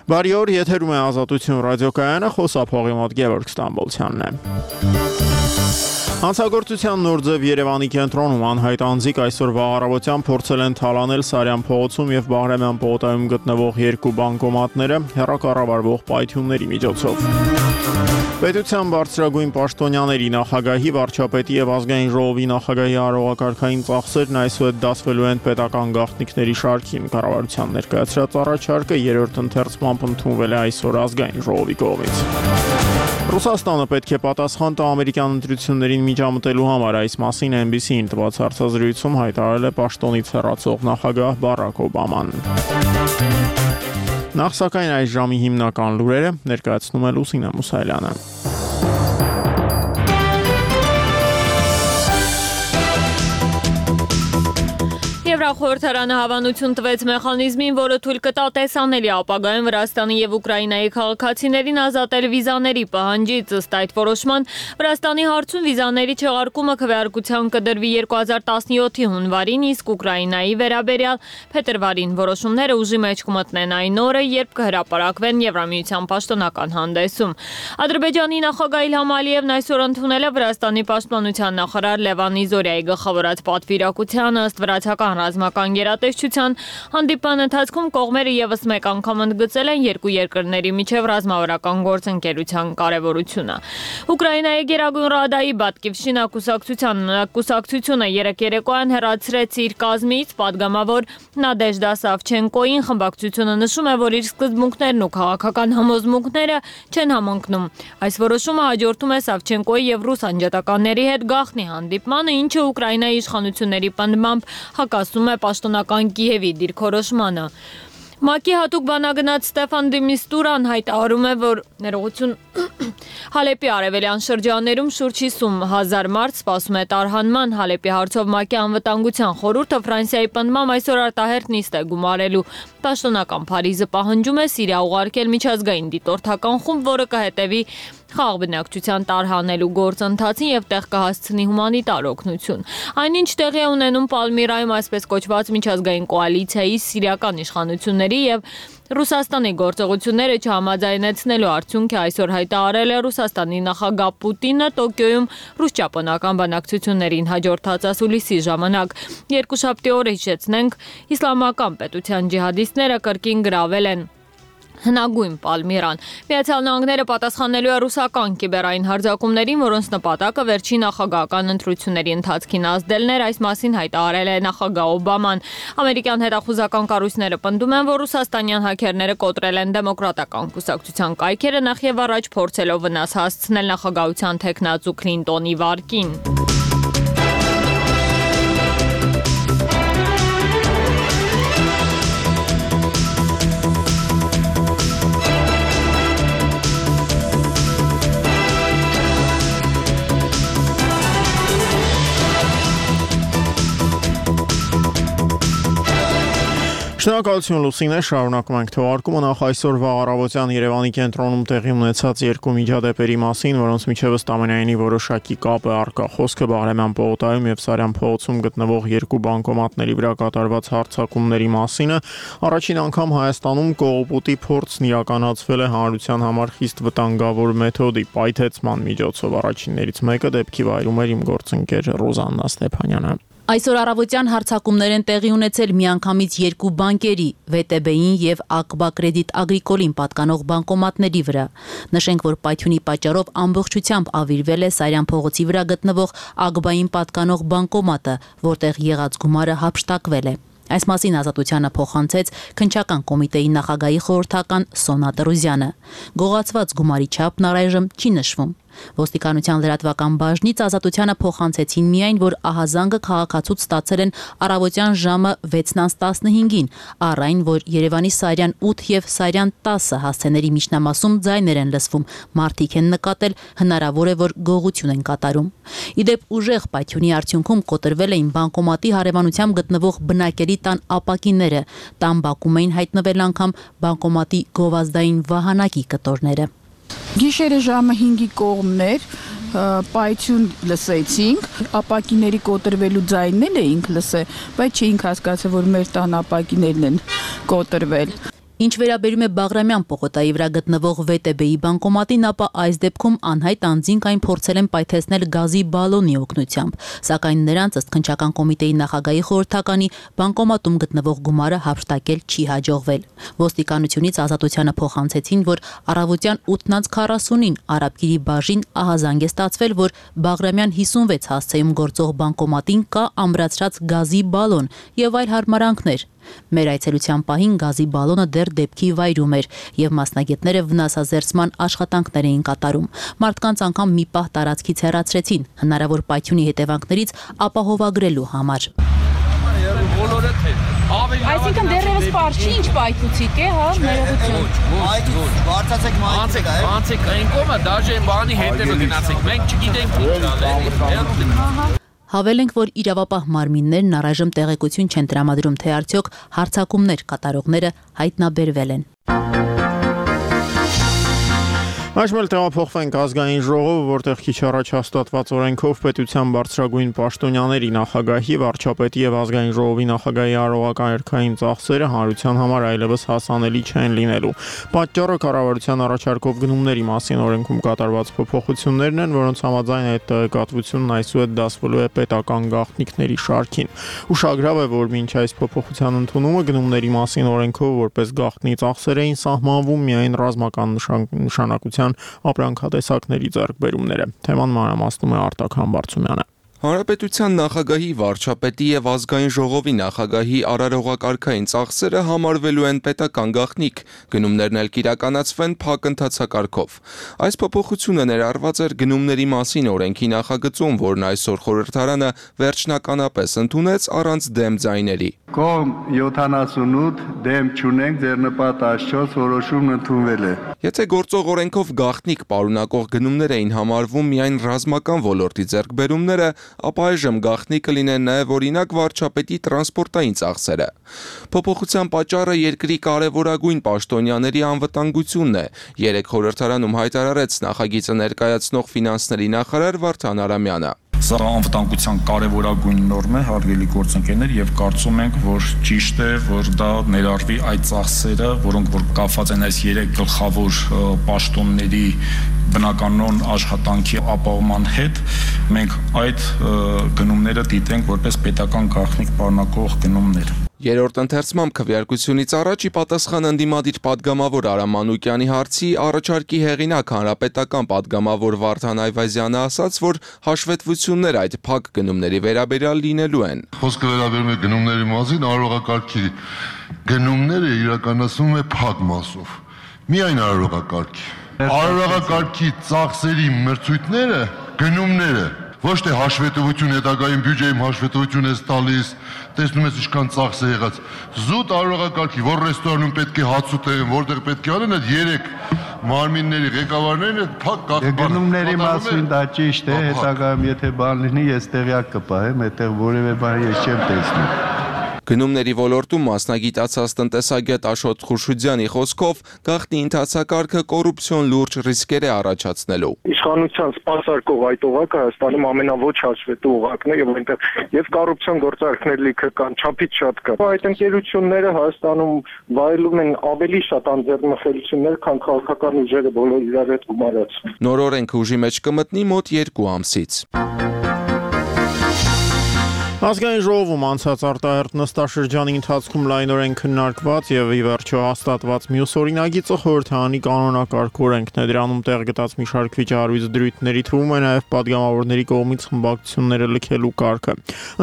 Բարի օր, եթերում է Ազատություն ռադիոկայանը, խոսափողի մոտ Գևորգ Ստամբոլցյանն է։ Հանցագործության նոր ձև Երևանի կենտրոնում անհայտ անձիկ այսօրվա առավոտյան փորձել են թալանել Սարյան փողոցում եւ Բաղրամյան պողոտայում գտնվող երկու բանկոմատները հեռակառավարվող պայթյունների միջոցով։ Պետության բարձրագույն պաշտոնյաների, նախագահի, վարչապետի եւ ազգային ժողովի նախագահի արարողակարգային ծախսերն այսուհետ դասվելու են պետական գաղտնիքների շարքին։ Կառավարության ներկայացրած առաջարկը երրորդ ընթերցմամբ ընդունվել է այսօր ազգային ժողովի կողմից։ Ռուսաստանը պետք է պատասխան տա ամերիկյան ընտրություններին միջամտելու համար, այս մասին NBC-ին տված հարցազրույցում հայտարարել է պաշտոնից հեռացող նախագահ Բարաք Օբաման։ Նախ սակայն այս ժամի հիմնական լուրերը ներկայացնում է Լուսինե Մուսայելյանը։ Եվրախորհրդարանը հավանություն տվեց մեխանիզմին, որը թույլ կտա տեսանելի ապագայում Վրաստանի եւ Ուկրաինայի քաղաքացիներին ազատել վիզաների պահանջից։ Ըստ այդ որոշման, Վրաստանի հարցում վիզաների չեղարկումը քվեարկության կդրվի 2017-ի հունվարին, իսկ Ուկրաինայի վերաբերյալ փետրվարին։ Որոշումները ուժի մեջ կմտնեն այն օրը, երբ կհրապարակվեն Եվրամիության պաշտոնական հանդեսում։ Ադրբեջանի նախագահ Իլհամ Ալիևն այսօր ընդունել է Վրաստանի պաշտպանության նախարար Լևան Իզորիայի գլխավորած պատվիրակությանը, ըստ վրացական ռազմական գերատեսչության հանդիպման ընթացքում կողմերը եւս մեկ անգամ ընդգծել են երկու երկրների միջև ռազմավարական գործընկերության կարևորությունը։ Ուկրաինայի Գերագույն ռադայի Բատկիվշինա կուսակցությունը երեկ երեկոյան հեռացրեց իր կազմից падգամավոր Նադեժդա Սավչենկոին։ Խմբակցությունը նշում է, որ իր սկզբունքներն ու քաղաքական համոզմունքները չեն համընկնում։ Այս որոշումը հաջորդում է Սավչենկոյի եւ ռուս անջատականների հետ գաղտնի հանդիպմանը, ինչը Ուկրաինայի իշխանությունների պնդմամբ հակասում է պաշտոնական Կիևի դիրքորոշմանը։ ՄԱԿ-ի հատուկ բանագնաց Ստեֆան դե Միստուրան հայտարարում է, որ ներողություն Հալեպի արևելյան շրջաններում շուրջ 50,000 մարդ սպասում է տարհանման։ Հալեպի հարցով ՄԱԿ-ի անվտանգության խորհուրդը Ֆրանսիայի պնդմամբ այսօր արտահերթ նիստ է գումարելու։ Պաշտոնական Փարիզը պահանջում է Սիրիա ուղարկել միջազգային դիտորդական խումբ, որը կհետևի խաղ բնակչության տարհանելու գործընթացին եւ տեղ կհասցնի հումանիտար օգնություն։ Այնինչ տեղի է ունենում Պալմիրայում այսպես կոչված միջազգային կոալիցիայի սիրիական իշխանությունների եւ Ռուսաստանի գործողությունները չհամաձայնեցնելու արդյունք է այսօր հայտարարել է Ռուսաստանի նախագահ Պուտինը Տոկիոյում ռուս-ճապոնական բանակցություններին հաջորդած ասուլիսի ժամանակ։ Երկուշաբթի օրը հիշեցնենք, իսլամական պետության ջիհադիստները կրկին գրավել են հնագույն Պալմիրան։ Միացյալ Նահանգները պատասխանելու է ռուսական կիբերային հարձակումներին, որոնց նպատակը վերջին նախագահական ընտրությունների ընթացքին ազդելն էր, այս մասին հայտարարել է նախագահ Օբաման։ Ամերիկյան հետախուզական կառույցները պնդում են, որ ռուսաստանյան հաքերները կոտրել են դեմոկրատական կուսակցության կայքերը, նախ եւ առաջ փորձելով վնաս հասցնել նախագահության թեկնածու Քլինտոնի վարկին։ Շնորհակալություն Լուսինե, շարունակում ենք թողարկումը։ Նախ այսօրվա առավոտյան Երևանի կենտրոնում տեղի ունեցած երկու միջադեպերի մասին, որոնց միջև ըստ ամենայնի որոշակի կապ է առկա։ Խոսքը Բաղրամյան պողոտայում եւ Սարյան փողոցում գտնվող երկու բանկոմատների վրա կատարված հարձակումների մասին է։ Առաջին անգամ Հայաստանում կողոպուտի փորձն իրականացվել է հանրության համար խիստ վտանգավոր մեթոդի պայթեցման միջոցով։ Առաջիններից մեկը դեպքի վայրում էր իմ գործընկեր Ռոզաննա Ստեփանյանը։ Այսօր առավոտյան հարձակումներ են տեղի ունեցել միանգամից երկու բանկերի՝ ՎՏԲ-ին եւ ԱԿԲԱ Կրեդիտ Ագրիկոլին պատկանող բանկոմատների վրա։ Նշենք, որ պայթյունի պատճառով ամբողջությամբ ավիրվել է Սարյան փողոցի վրա գտնվող ԱԿԲԱ-ին պատկանող բանկոմատը, որտեղ եղած գումարը հափշտակվել է։ Այս մասին Ազատությանը փոխանցեց քննչական կոմիտեի նախագահի խորհրդական Սոնա Տրուզյանը։ Գողացված գումարի չափն առայժմ չի նշվում։ Ոստիկանության լրատվական բաժնից Ազատությանը փոխանցեցին միայն, որ ահազանգը քաղաքացուց ստացել են առավոտյան ժամը 6:15-ին, առ այն, որ Երևանի Սարյան 8 եւ Սարյան 10 հասցեների միջնամասում ձայներ են լսվում, մարդիկ են նկատել, հնարավոր է, որ գողություն են կատարում։ Իդեպ ուժեղ պայթյունի արդյունքում կոտրվել էին բանկոմատի հարևանությամբ գտնվող բնակելի տան ապակիները, տան բակում էին հայտնվել անգամ բանկոմատի գովազդային վահանակի կտորները։ Գիշերը ժամը 5-ի կողմներ պայթյուն լսեցինք, ապակիների կոտրվելու ձայնն էինք լսել, բայց չէինք հասկացել, որ մեր տան ապակիներն են կոտրվել։ Ինչ վերաբերում է Բաղրամյան պողոտայի վրա գտնվող ՎՏԲ-ի բանկոմատին, ապա այս դեպքում անհայտ անձինք այն փորձել են պայթեցնել գազի բալոնի օգնությամբ, սակայն նրանց ըստ քննչական կոմիտեի նախագահի խորհրդականի բանկոմատում գտնվող գումարը հափշտակել չի հաջողվել։ Ոստիկանությունից Ազատությանը փոխանցեցին, որ առավոտյան 8:40-ին Արաբկիրի բաժին ահազանգ է ստացվել, որ Բաղրամյան 56 հասցեում գործող բանկոմատին կա ամրացրած գազի բալոն եւ այլ հարմարանքներ։ Մեր այցելության պահին գազի բալոնը դեռ դեպքի վայրում էր եւ մասնագետները վնասազերծման աշխատանքներ էին կատարում։ Մարդկանց անգամ մի պահ տարածքից հեռացրեցին, հնարավոր պայթյունի հետևանքներից ապահովագրելու համար։ Այսինքն դեռևս պարզ չի, ինչ պայթուցիկ է, հա, ներողություն։ Բարձացեք մայթիկ, անցեք այն կողմը, դաժե բանի հետևը գնացեք, մենք չգիտենք ինչ Հավել ենք, որ իրավապահ մարմիններն առայժմ տեղեկություն չեն տրամադրում, թե արդյոք հարձակումներ կատարողները հայտնաբերվել են։ Այժմ տեղափոխվենք ազգային ժողով, որտեղ քիչ առաջ հաստատված օրենքով պետության բարձրագույն պաշտոնյաների, նախագահի, վարչապետի եւ ազգային ժողովի նախագահի արարողական երկային ծախսերը հանրության համար այլևս հասանելի չեն լինելու։ Պատճառը կառավարության առաջարկով գնումների մասին օրենքում կատարված փոփոխություններն են, որոնց համաձայն այդ տեղեկատվությունն այսուհետ դասվելու է պետական գաղտնիքների շարքին։ Ուշագրավ է, որ մինչ այս փոփոխության ընդունումը գնումների մասին օրենքով որպես գաղտնի ծախսեր էին սահմանվում միայն ռազմական նշանակության ապրանքատեսակների ձեռքբերումները։ Թեման մանրամասնում է Արտակ Համբարձումյանը։ Հանրապետության նախագահի, վարչապետի եւ ազգային ժողովի նախագահի արարողակարգային ծախսերը համարվելու են պետական գաղտնիք, գնումներն էլ կիրականացվեն փակ ընթացակարգով։ Այս փոփոխությունը ներառված էր գնումների մասին օրենքի նախագծում, որն այսօր խորհրդարանը վերջնականապես ընդունեց առանց դեմ ձայների։ Կողմ 78 դեմ չունենք, ձեռնպատ 14 որոշումն ընդունվել է։ Եթե գործող օրենքով գաղտնիք պարունակող գնումներ էին համարվում միայն ռազմական ոլորտի ձեռքբերումները, ապա այժմ գաղտնի կլինեն նաև օրինակ վարչապետի տրանսպորտային ծախսերը։ Փոփոխության պատճառը երկրի կարևորագույն պաշտոնյաների անվտանգությունն է, երեկ խորհրդարանում հայտարարեց նախագիծը ներկայացնող ֆինանսների նախարար Վարդան Արամյանը։ Սա անվտանգության կարևորագույն նորմ է, հարգելի գործընկերներ, եւ կարծում ենք, որ ճիշտ է, որ դա ներառվի այդ ծախսերը, որոնք որ կապված են այս 3 գլխավոր պաշտոնների բնականոն աշխատանքի ապահովման հետ, մենք այդ գնումները դիտենք որպես պետական գաղտնիք պարունակող գնումներ։ Երրորդ ընթերցմամբ քվեարկությունից առաջ ի պատասխան ընդդիմադիր պատգամավոր Արամ Մանուկյանի հարցի առաջարկի հեղինակ հանրապետական պատգամավոր Վարդան Այվազյանը ասաց, որ հաշվետվություններ այդ փակ գնումների վերաբերյալ լինելու են։ Խոսքը վերաբերում է գնումների մասին, արարողակարգի գնումները իրականացվում է փակ մասով։ Միայն արարողակարգի։ Արարողակարգի ծախսերի մրցույթները, գնումները ոչ թե հաշվետվություն հետագայում բյուջեում հաշվետվություն ես տալիս, տեսնում ես ինչքան ծախս է եղած։ Զուտ արարողակարգի, որ ռեստորանում պետք է հաց ուտեն, որտեղ պետք է անեն, այդ 3 մարմինների ղեկավարներն այդ փակ գաղտնի։ Գնումների մասին դա ճիշտ է, հետագայում եթե բան լինի, ես տեղյակ կպահեմ, այդտեղ որևէ բան ես չեմ տեսնում։ Գնումների ոլորտում մասնագիտացած տնտեսագետ Աշոտ Խուրշուդյանի խոսքով գաղտնի ընթացակարգը կոռուպցիոն լուրջ ռիսկեր է առաջացնելու։ Իշխանության սպասարկող այդ օղակը Հայաստանում ամենաոչ հաշվետու օղակն է եւ այնտեղ եւ կոռուպցիոն գործարքներ լիքը կան, չափից շատ կա։ Այդ ընկերությունները Հայաստանում վայելում են ավելի շատ անձեռնմխելիություններ, քան քաղաքական ուժերը բոլոր իրար հետ գումարած։ Նոր օրենքը ուժի մեջ կմտնի մոտ 2 ամսից։ Ազգային ժողովում անցած արտահերթ նստաշրջանի ընթացքում լայնորեն քննարկված եւ ի վերջո հաստատված մյուս օրինագիծը խորհրդարանի կանոնակարգ օրենքն է, դրանում տեղ գտած մի շարք վիճահարույց դրույթների թվում է նաեւ պատգամավորների կողմից խմբակցությունները լքելու կարգը։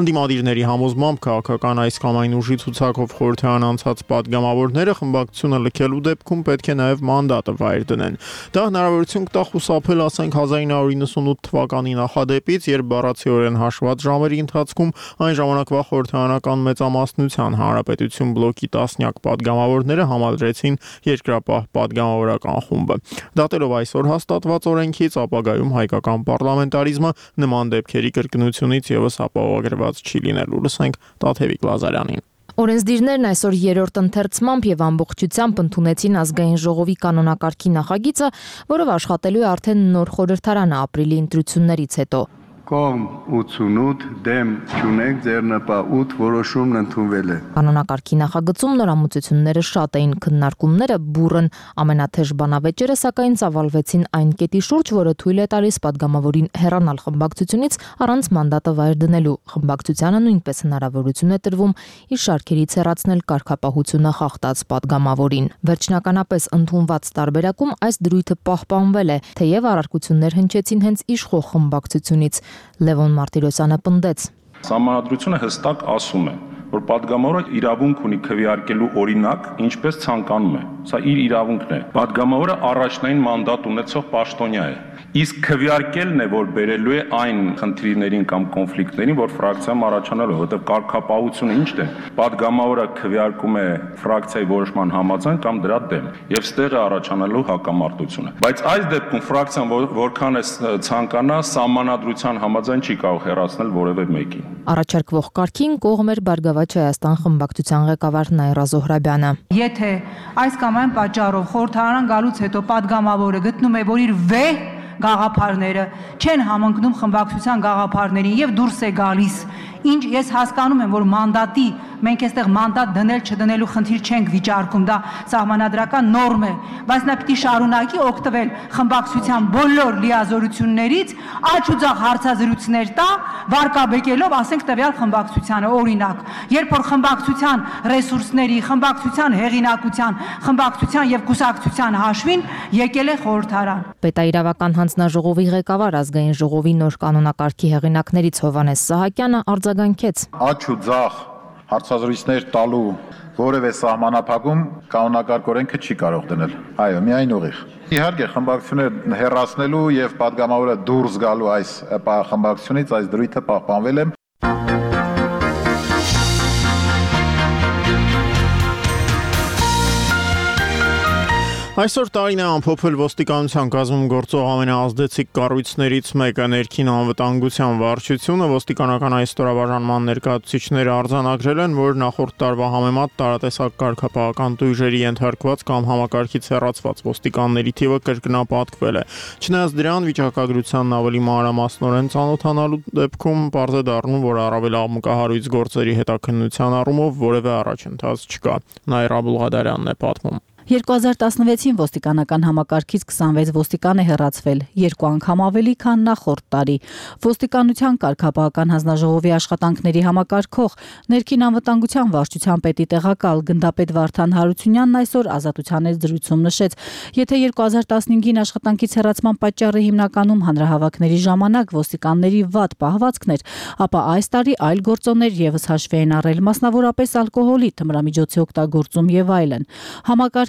Ընդդիմադիրների համոզմամբ քաղաքական այս կամ այն ուժի ցուցակով խորհրդարան անցած պատգամավորները խմբակցությունը լքելու դեպքում պետք է նաեւ մանդատը վայր դնեն։ Դա հնարավորություն կտա խուսափել, ասենք 1998 թվականի նախադեպից, երբ բառացիորեն հաշված ժամերի ընթացքում այն ժամանակվա խորհրդարանական մեծամասնության Հանրապետություն բլոկի տասնյակ պատգամավորները համադրեցին երկրապահ պատգամավորական խումբը։ Դատելով այսօր հաստատված օրենքից, ապագայում հայկական պարլամենտարիզմը նման դեպքերի կրկնությունից եւս ապահովագրված չի լինելու։ Լսենք Տաթևիկ Լազարյանին։ Օրենսդիրներն այսօր երրորդ ընթերցմամբ եւ ամբողջությամբ ընդունեցին ազգային ժողովի կանոնակարգի նախագիծը, որով աշխատելու է արդեն նոր խորհրդարանը ապրիլի ընտրություններից հետո։ Կողմ 88, դեմ չունենք, ձեռնպահ 8 որոշումն ընդունվել է։ Կանոնակարգի նախագծում նորամուծությունները շատ էին, քննարկումները բուռն, ամենաթեժ բանավեճերը սակայն ծավալվեցին այն կետի շուրջ, որը թույլ է տալիս падգամավորին հեռանալ խմբակցությունից առանց մանդատը վայր դնելու։ Խմբակցությանը նույնպես հնարավորություն է տրվում իր շարքերից հեռացնել կարգապահությունը խախտած падգամավորին։ Վերջնականապես ընդունված տարբերակում այս դրույթը պահպանվել է, թեև առարկություններ հնչեցին հենց իշխող խմբակցությունից։ Լևոն Մարտիրոսյանը պնդեց. Սահմանադրությունը հստակ ասում է, որ падգամավորը իրավունք ունի քվեարկելու օրինակ, ինչպես ցանկանում է։ Սա իր իրավունքն է։ Падգամավորը առաջնային մանդատ ունեցող պաշտոնյա է։ Իսկ քվեարկելն է, որ բերելու է այն խնդիրներին կամ կոնֆլիկտներին, որ ֆրակցիայում առաջանալու, որովհետև կարգապահությունը ի՞նչն է։ Падգամավորը քվեարկում է ֆրակցիայի որոշման համաձայն կամ դրա դեմ, եւ ստեղ է առաջանալու հակամարտությունը։ Բայց այս դեպքում ֆրակցիան որքան է ցանկանա, սահմանադրության համաձայն չի կարող հեռացնել որևէ մեկին։ Առաջարկվող կարգին կողմ էր Բարգավաճ Հայաստան խմբակցության ղեկավար Նաիրա Զոհրաբյանը։ Եթե այս կամ այն պատճառով խորհրդարան գալուց հետո падգամավորը գտնում է, որ իր վեհ գաղափարները չեն համընկնում խմբակցության գաղափարներին եւ դուրս է գալիս, ինչ ես հասկանում եմ, որ մանդատի մենք այստեղ մանդատ դնել չդնելու խնդիր չենք վիճարկում, դա սահմանադրական նորմ է, բայց նա պիտի շարունակի օգտվել խմբակցության բոլոր լիազորություններից, աջ ու ձախ հարցազրույցներ տա, վարկաբեկելով, ասենք տվյալ խմբակցությանը, օրինակ, երբ որ խմբակցության ռեսուրսների, խմբակցության հեղինակության, խմբակցության եւ կուսակցության հաշվին եկել է խորհրդարան։ Պետաիրավական հանձնաժողովի ղեկավար ազգային ժողովի նոր կանոնակարգի հեղինակներից Հովհաննես Սահակյանը արձագանքեց. Աջ ու ձախ հարցազրույցներ տալու որևէ սահմանափակում կանոնակարգ օրենքը չի կարող դնել։ Այո, միայն ուղիղ։ Իհարկե, խմբակցությունները հեռացնելու եւ падգամավորը դուրս գալու այս խմբակցությունից այս դրույթը պահպանվել է։ Այսօր տարին է ամփոփել ոստիկանության կազմում գործող ամենաազդեցիկ կառույցներից մեկը ներքին անվտանգության վարչությունը։ Ոստիկանական այս ստորաբաժանման ներկայացուցիչները արձանագրել են, որ նախորդ տարվա համեմատ տարատեսակ կարգապահական տույժերի ենթարկված կամ համակարգից հեռացված ոստիկանների թիվը կրկնապատկվել է։ Չնայած դրան, վիճակագրությանն ավելի մանրամասնորեն ծանոթանալու դեպքում պարզ է դառնում, որ առավել աղմկահարույց գործերի հետաքննության առումով որևէ առաջընթաց չկա։ Նաիրա Բուլղադարյանն է պատմում։ 2016-ին ոստիկանական համակարգից 26 ոստիկան է հեռացվել, 2 անգամ ավելի, քան նախորդ տարի։ Ոստիկանության կարգապահական հանձնաժողովի աշխատանքների համակարգող ներքին անվտանգության վարչության պետի տեղակալ գնդապետ Վարդան Հարությունյանն այսօր Ազատության զրույցում նշեց, եթե 2015-ին աշխատանքից հեռացման պատճառը հիմնականում հանրահավաքների ժամանակ ոստիկանների վատ պահվածքն էր, ապա այս տարի այլ գործոններ եւս հաշվի են առել, մասնավորապես ալկոհոլի, թմրամիջոցի օգտագործում եւ այլն։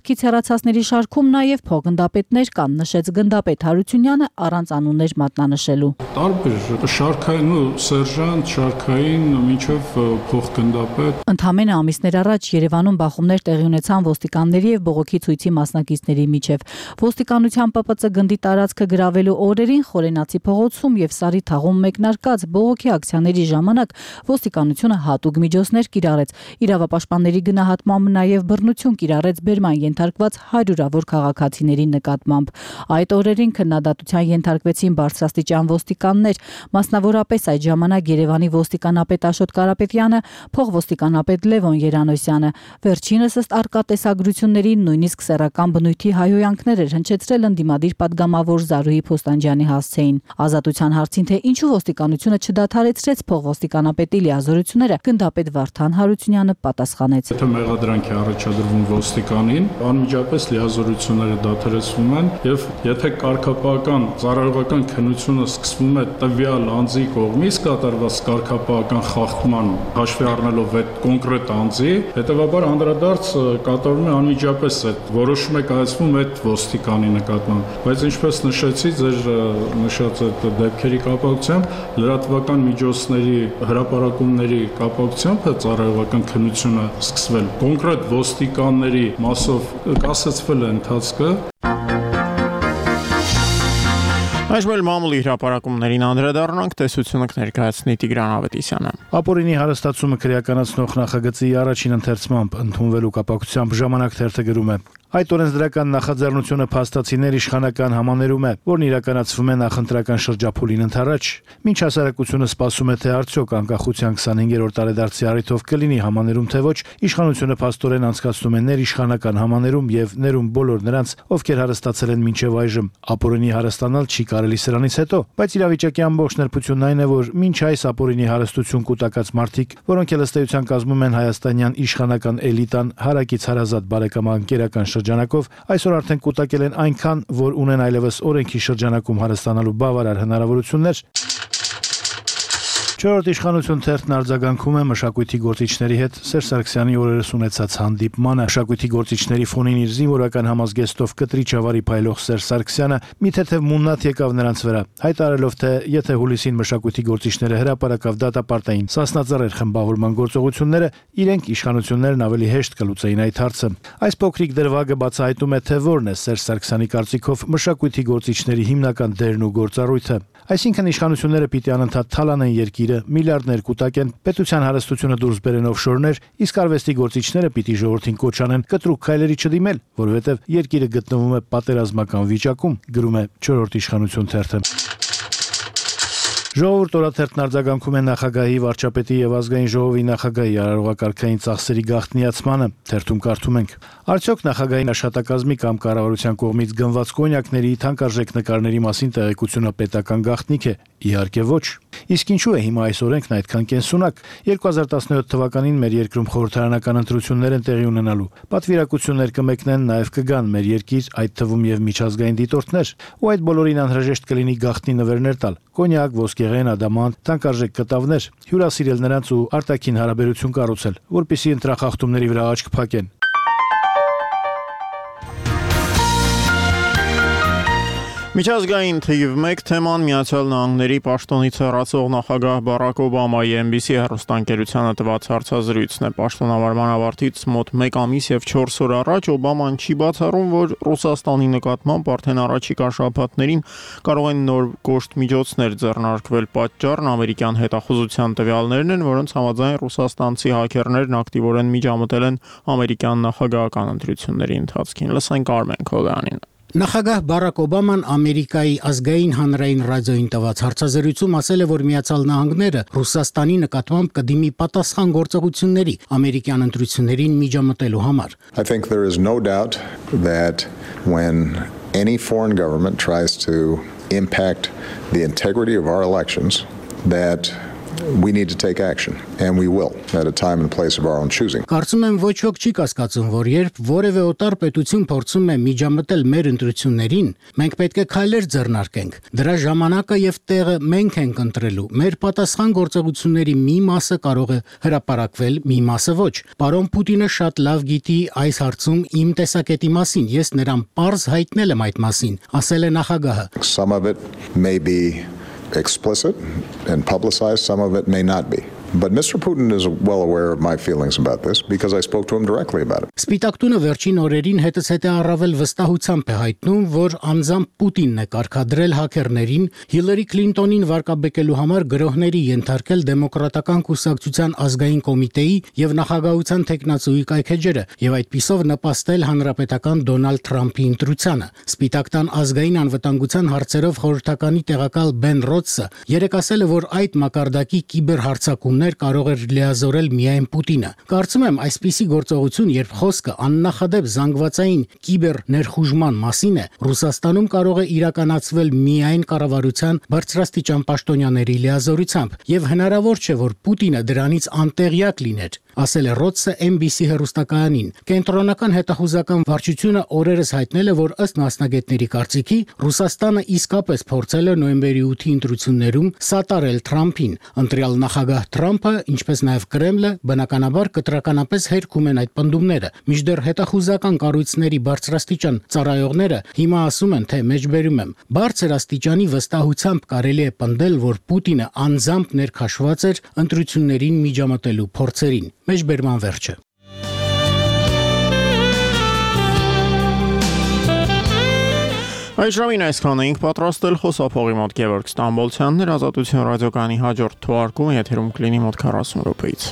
Համակարգից հեռացածների շարքում նաև փոխգնդապետներ կան, նշեց գնդապետ Հարությունյանը առանց անուններ մատնանշելու։ Տարբեր շարքային ու սերժանտ, շարքային մինչև փոխգնդապետ։ Ընդամենը ամիսներ առաջ Երևանում բախումներ տեղի ունեցան ոստիկանների եւ բողոքի ցույցի մասնակիցների միջև։ Ոստիկանության ՊՊՑ գնդի տարածքը գրավելու օրերին Խորենացի փողոցում եւ Սարի թաղում մեկնարկած բողոքի ակցիաների ժամանակ ոստիկանությունը հատուկ միջոցներ կիրառեց։ Իրավապաշտպանների գնահատմամբ նաև բռնություն կիրառեց բերման ենթարկված հարյուրավոր քաղաքացիների նկատմամբ։ Այդ օրերին քննադատության ենթարկվեցին բարձրաստիճան ոստիկաններ, մասնավորապես այդ ժամանակ Երևանի ոստիկանապետ Աշոտ Կարապետյանը, փոխոստիկանապետ Լևոն Երանոսյանը։ Վերջինս ըստ արկա տեսագրությունների նույնիսկ սեռական բնույթի հայհոյանքներ էր հնչեցրել ընդդիմադիր падգամավոր Զարուհի Փոստանջյանի հասցեին։ Ազատության հարցին, թե ինչու ոստիկանությունը չդադարեցրեց փոխոստիկանապետի լիազորությունները, գնդապետ Վարդան Հարությունյանը պատասխանեց. Եթե մեղադրանք է առաջադրվում ոստիկանին, անմիջապես լիազորությունները դադարեցվում են եւ եթե կարգապահական ծառայողական քննությունը սկսվում է տվյալ անձի կողմից կատարված կարգապահական խախտման հաշվի առնելով այդ կոնկրետ անձի, հետեւաբար անդրադարձ կատարվում է անմիջապես այդ որոշում է կայացվում այդ ոստիկանի նկատմամբ, բայց ինչպես նշեցի ձեր նշած այդ դեպքերի կապակցությամբ լրատվական միջոցների հրապարակումների կապակցությամբ ծառայողական քննությունը սկսվել կոնկրետ ոստիկանների մասով կասեցվել է ընթացքը։ Այժմ էլ մամուլի հրապարակումներին անդրադառնանք, տեսությունը կներկայացնի Տիգրան Ավետիսյանը։ Ապօրինի հարստացումը քրեականացնող նախագծի առաջին ընթերցմամբ ընդունվելու կապակցությամբ Ժամանակ թերթը գրում է. Այդ օրենսդրական նախաձեռնությունը փաստացիներ իշխանական համաներում է, որն իրականացվում է նախընտրական շրջափուլին ընդառաջ։ Մինչ հասարակությունը սպասում է, թե արդյոք անկախության 25-րդ տարեդարձի առիթով կլինի համաներում թե ոչ, իշխանությունը փաստորեն անցկացնում է ներիշխանական համաներում եւ ներում բոլոր նրանց, ովքեր հարստացել են մինչեւ այժմ։ Ապօրինի հարստանալ չի կարելի սրանից հետո, բայց իրավիճակի ամբողջ նրբությունն այն է, որ մինչ այս ապօրինի հարստություն կուտակած մարդիկ, որոնք էլ ըստ էության կազմում են հայաստանյան իշխանական էլիտան հարակից հարազատ բարեկամանկերական շրջանակով, այսօր արդեն կուտակել են այնքան, որ ունեն այլևս օրենքի շրջանակում հարստանալու բավարար հնարավորություններ։ Չորրորդ իշխանություն թերթն արձագանքում է մշակույթի գործիչների հետ Սերժ Սարգսյանի օրերս ունեցած հանդիպմանը։ Մշակույթի գործիչների ֆոնին իր զինվորական համազգեստով կտրի ճավարի փայլող Սերժ Սարգսյանը մի թեթև մուննաթ եկավ նրանց վրա, հայտարարելով, թե եթե հուլիսին մշակույթի գործիչները հրապարակավ դատապարտային Սասնածռեր խմբավորման գործողությունները, իրենք իշխանություններն ավելի հեշտ կլուծեին այդ հարցը։ Այս փոքրիկ դրվագը բացահայտում է, թե որն է Սերժ Սարգսյանի կարծիքով մշակույթի գործիչների հիմնական դերն ու գործառույթը։ Այսինքն իշխանությունները պիտի անընդհատ թալանեն երկիրը, միլիարդներ կուտակեն, պետության հարստությունը դուրս բերեն օֆշորներ, իսկ արվեստի գործիչները պիտի ժողովրդին կոչ անեն կտրուկ քայլերի չդիմել, որովհետև երկիրը գտնվում է պատերազմական վիճակում, գրում է 4-րդ իշխանություն թերթը։ Ժողովուրդ օրաթերթն արձագանքում է նախագահի, վարչապետի եւ ազգային ժողովի նախագահի արարողակարգային ծախսերի գաղտնիացմանը, թերթում կարդում ենք. Արդյոք նախագահի աշխատակազմի կամ կառավարության կողմից գնված կոնյակների թանկարժեք նկարների մասին տեղեկությունը պետական գաղտնիք է։ Իհարկե ոչ։ Իսկ ինչու է հիմա այս օրենքն այդքան կենսունակ։ 2017 թվականին մեր երկրում խորհրդարանական ընտրություններ են տեղի ունենալու։ Պատվիրակություններ կմեկնեն, նաև կգան մեր երկիր, այդ թվում եւ միջազգային դիտորդներ, ու այդ բոլորին անհրաժեշտ կլինի գաղտնի նվերներ տալ։ Կոնյակ, ոսկեղեն, ադամանտ, թանկարժեք կտավներ, հյուրասիրել նրանց ու արտաքին հարաբերություն կառուցել, որպեսզի ընտրախախտումների վրա աչք փակեն։ Միջազգային թիվ 1 թեման Միացյալ Նահանգների պաշտոնից հեռացող նախագահ Բարակ Օբամայի NBC հեռուստաընկերությանը տված հարցազրույցն է։ Պաշտոնավարման ավարտից մոտ 1 ամիս եւ 4 օր առաջ Օբաման չի բացառում, որ Ռուսաստանի նկատմամբ արդեն առաջիկա շաբաթներին կարող են նոր կոշտ միջոցներ ձեռնարկվել։ Պատճառն ամերիկյան հետախուզության տվյալներն են, որոնց համաձայն ռուսաստանցի հաքերներն ակտիվորեն միջամտել են ամերիկյան նախագահական ընտրությունների ընթացքին։ Լսենք Արմեն Քոդյանին։ Նախագահ Բարակ Օբաման Ամերիկայի ազգային հանրային ռադիոյին տված հարցազրույցում ասել է, որ Միացյալ Նահանգները Ռուսաստանի նկատմամբ կդիմի պատասխան գործողությունների ամերիկյան ընտրություններին միջամտելու համար։ I think there is no doubt that when any foreign government tries to impact the integrity of our elections, that we need to take action, and we will, at a time and place of our own choosing. Կարծում եմ ոչ ոք չի կասկածում, որ երբ որևէ օտար պետություն փորձում է միջամտել մեր ընտրություններին, մենք պետք է քայլեր ձեռնարկենք։ Դրա ժամանակը եւ տեղը մենք ենք ընտրելու։ Մեր պատասխան գործողությունների մի մասը կարող է հրապարակվել, մի մասը ոչ։ Պարոն Պուտինը շատ լավ գիտի այս հարցում իմ տեսակետի մասին։ Ես նրան պարզ հայտնել եմ այդ մասին, ասել է նախագահը։ Some of it may be explicit and publicized, some of it may not be. But Mr. Putin is well aware of my feelings about this because I spoke to him directly about it. Սպիտակ տունը վերջին օրերին հետզհետե առավել վստահությամբ է հայտնում, որ անձամբ Պուտինն է կարգադրել հաքերներին Հիլարի Քլինտոնին վարկաբեկելու համար գրոհների ենթարկել դեմոկրատական կուսակցության ազգային կոմիտեի եւ նախագահության տեխնացուի կայքեջերը եւ այդպիսով նպաստել հանրապետական Դոնալդ Թրամփի ընտրությանը։ Սպիտակ տան ազգային անվտանգության հարցերով խորհրդականի տեղակալ Բեն Ռոդսը երեկ ասել է, որ այդ մակարդակի կիբերհարձակումներ կարող էր լիազորել միայն Պուտինը։ Կարծում եմ, այսպիսի գործողություն, երբ խոսքը աննախադեպ զանգվածային կիբեր ներխուժման մասին է, Ռուսաստանում կարող է իրականացվել միայն կառավարության բարձրաստիճան պաշտոնյաների լիազորությամբ, եւ հնարավոր չէ, որ Պուտինը դրանից անտեղյակ լիներ, ասել է Ռոդսը NBC հեռուստակայանին։ Կենտրոնական հետախուզական վարչությունը օրերս հայտնել է, որ ըստ մասնագետների կարծիքի Ռուսաստանը իսկապես փորձել է նոյեմբերի 8-ի ընտրություններում սատարել Թրամփին։ Ընտրյալ նախագահ Թրամփը, ինչպես նաև Կրեմլը, բնականաբար կտրականապես հերքում են այդ պնդումները։ Մինչդեռ հետախուզական կառույցների բարձրաստիճան ծառայողները հիմա ասում են, թե մեջբերում եմ, բարձր աստիճանի վստահությամբ կարելի է պնդել, որ Պուտինը անձամբ ներքաշված էր ընտրություններին միջամտելու փորձերին։ Մեջբերման վերջը։ Այս ժամին այսքան էինք պատրաստել, խոսափողի մոտ Գևորգ Ստամբոլցյանն էր, Ազատություն ռադիոկայանի հաջորդ թողարկումը եթերում կլինի մոտ 40 րոպեից։